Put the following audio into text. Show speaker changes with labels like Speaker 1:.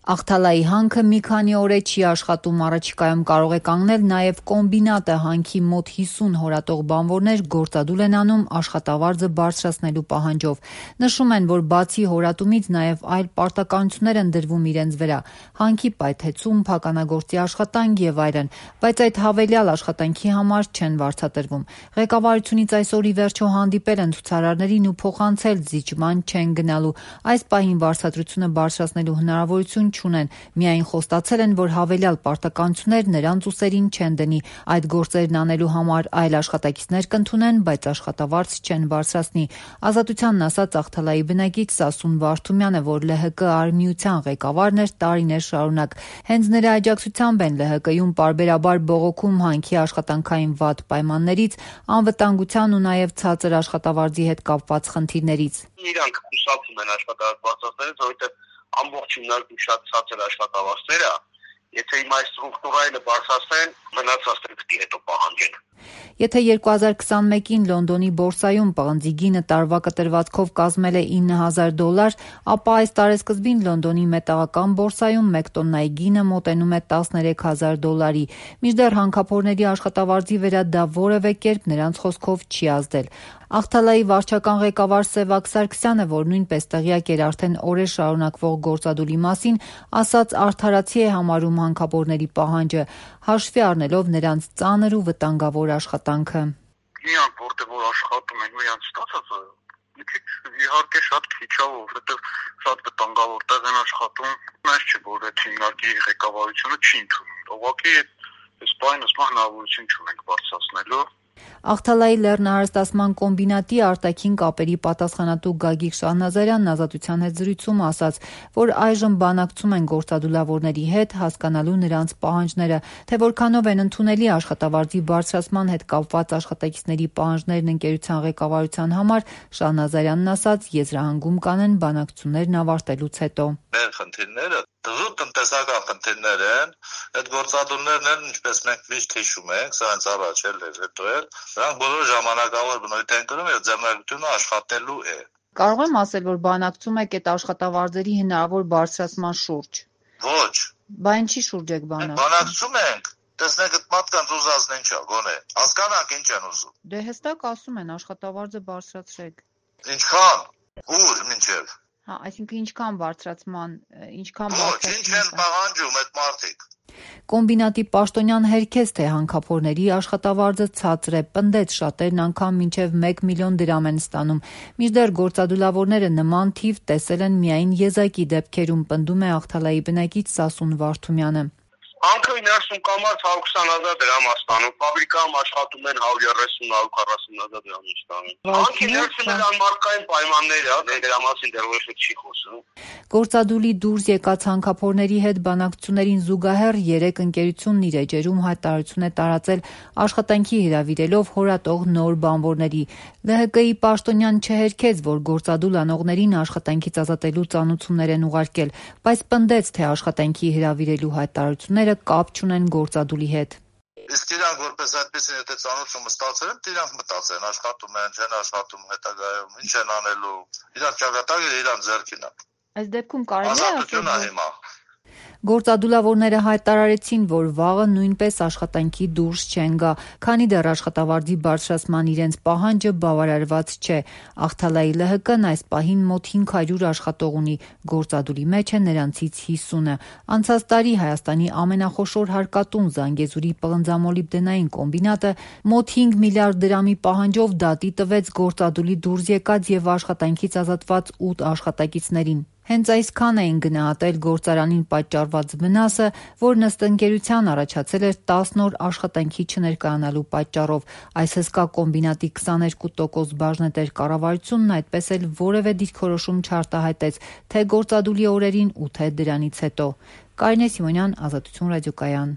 Speaker 1: Աղթալայի հանքը մի քանի օր է չի աշխատում, առաջիկայում կարող է կանգնել նաև կոմբինատը, հանքի մոտ 50 հորատող բանվորներ գործադուլ են անում աշխատավարձը բարձրացնելու պահանջով։ Նշում են, որ բացի հորատումից նաև այլ պարտականություններ են դրվում իրենց վրա՝ հանքի պայթեցում, փականագործի աշխատանք եւ այլն, բայց այդ հավելյալ աշխատանքի համար չեն վարձատրվում։ Ղեկավարությունից այսօր ի վերջո հանդիպել են ցուցարարներին ու փոխանցել զիջման չեն գնալու։ Այս պահին վարձատրությունը բարձրացնելու հնարավորություն չունեն, միայն խոստացել են, որ հավելյալ պարտականություններ նրանց ուսերին չեն դնի, այդ գործերն անելու համար այլ աշխատակիցներ կընդունեն, բայց աշխատավարձ չեն բարձրացնի։ Ազատությանն ասաց Աղթալայի բնակիչ Սասուն Վարդումյանը, որ ԼՀԿ արմիության ղեկավարն էր տարիներ շարունակ։ Հենց նրա աջակցությամբ են ԼՀԿ-ում պարբերաբար բողոքում հանքի աշխատանքային վատ պայմաններից, անվտանգության ու նաև ցածր աշխատավարձի հետ կապված խնդիրներից։
Speaker 2: Իրանք կուսակցում են աշխատավարձ բարձրացնելուց, որովհետև ամբողջությամբ շատ ցածր աշխատավարձները, եթե հիմա այս ստրուկտուրայինը բարձրացնեն, մնացածները պիտի հետո պահանջեն։
Speaker 1: Եթե 2021-ին Լոնդոնի բորսայում պղնձի գինը տարվա կտրվածքով կազմել է $9,000, ապա այս տարեսկզբին Լոնդոնի մետաղական բորսայում 1 տոննայի գինը մոտենում է $10,000-ի։ Մինչդեռ հանքափորների աշխատավարձի վրա դա որևէ կերպ նրանց խոսքով չի ազդել։ Աղթալայի վարչական ղեկավար Սևակ Սարգսյանը, որ նույնպես տեղյակ էր արդեն օրեր շարունակվող գործադուլի մասին, ասաց արդարացի է համարում հանքափորների պահանջը, հաշվի առնելով նրանց ծանր ու վտանգավոր աշխատանքը։
Speaker 2: Իրանք որտեղ աշխատում են, իրանք ստացածը իհարկե շատ քիչ է, որովհետև շատ վտանգավոր տեղ են աշխատում, այս չէ, որ այդ հիմնարկի ղեկավարությունը չի ընդունում։ Ուղղակի այս բանը հնարավորություն չունենք բարձրացնելու։
Speaker 1: Աղթալայի լեռնահարստացման կոմբինատի արտաքին կապերի պատասխանատու Գագիկ Շահնազարյանն Ազատության հետ զրույցում ասաց, որ այժմ բանակցում են գործադուլավորների հետ, հասկանալու նրանց պահանջները, թե որքանով են ընդունելի աշխատավարձի բարձրացման հետ կապված աշխատակիցների պահանջներն ընկերության ղեկավարության համար, Շահնազարյանն ասաց, եզրահանգում կանեն բանակցություններն ավարտելուց հետո։
Speaker 3: Մեր խնդիրները դժուր տնտեսական խնդիրներ են, այդ գործադուլներն են, ինչպես մենք միշտ հիշում ենք, սա հենց առաջ էլ էր, հետո էլ, նրանք բոլոր ժամանակավոր բնույթ են կրում եւ ձեռնարկությունը աշխատելու է։
Speaker 1: Կարող եմ ասել, որ բանակցում եք այդ աշխատավարձերի հնարավոր բարձրացման շուրջ։
Speaker 3: Ոչ։
Speaker 1: Բա ինչի շուրջ եք
Speaker 3: բանակցում ենք, տեսնենք այդ մարդկանց ուզածն ինչ է, գոնե, հասկանանք ինչ են ուզում։
Speaker 1: Դե հստակ ասում են աշխատավարձը բարձրացրեք։
Speaker 3: Ինչքան, ուր, մինչև։
Speaker 1: Հա, այսինքն ինչքան բարձրացման,
Speaker 3: Ոչ, ինչ են պահանջում այդ մարդիկ։
Speaker 1: Կոմբինատի պաշտոնյան հերքեց, թե հանքափորների աշխատավարձը ցածր է, պնդեց, շատերն անգամ մինչև 1 միլիոն դրամ են ստանում։ Մինչդեռ գործադուլավորները նման թիվ տեսել են միայն եզակի դեպքերում, պնդում է Աղթալայի բնակիչ Սասուն Վարդումյանը։
Speaker 2: Հանքը 90 կամած 120,000 դրամ ստանում, ֆաբրիկայում աշխատում են 130-140,000 դրամ ստանում։ Հանքի ներսում էլ անմարդկային պայմաններ է, դրա մասին դեռ ոչ չի խոսում։
Speaker 1: Գործադուլի դուրս եկած հանքափորների հետ բանակցություններին զուգահեռ 3 ընկերությունն իր էջերում հայտարարություն է տարածել աշխատանքի հրավիրելով հորատող նոր բանվորների։ ԼՀԿ-ի պաշտոնյան չհերքեց, որ գործադուլ անողներին աշխատանքից ազատելու ծանուցումներ են ուղարկել, բայց պնդեց, թե աշխատանքի հրավիրելու հայտարարությունները կապ չունեն գործադուլի հետ։
Speaker 3: Իսկ իրանք որպես այդպեսին եթե ծանոթումը ստացել են, իրանք մտածեն, աշխատում են, չեն աշխատում հետագայում, ինչ են անելու, իրանք ճակատագիրը իրանք ձեռքին է։
Speaker 1: Այս դեպքում կարելի է
Speaker 3: ասել, հիմա
Speaker 1: Գործադուլավորները հայտարարեցին, որ վաղը նույնպես աշխատանքի դուրս չեն գա, քանի դեռ աշխատավարձի բարձրացման իրենց պահանջը բավարարված չէ։ Աղթալայի ԼՀԿ-ն այս պահին մոտ 500 աշխատող ունի, գործադուլի մեջ է նրանցից 50-ը։ Անցած տարի Հայաստանի ամենախոշոր հարկատուն Զանգեզուրի պղնձամոլիբդենային կոմբինատը մոտ 5 միլիարդ դրամի պահանջով դատի տվեց գործադուլի դուրս եկած եւ աշխատանքից ազատված 8 աշխատակիցներին։ Հենց այսքան էին գնահատել գործարանին պատճառված վնասը, որն ըստ ընկերության առաջացել էր 10 օր աշխատանքի չներկայանալու պատճառով։ Այս հսկա կոմբինատի 22% բաժնետեր կառավարությունն այդպես էլ որևէ դիրքորոշում չարտահայտեց թե գործադուլի օրերին ու թե դրանից հետո։ Կարինե Սիմոնյան, Ազատություն ռադիոկայան։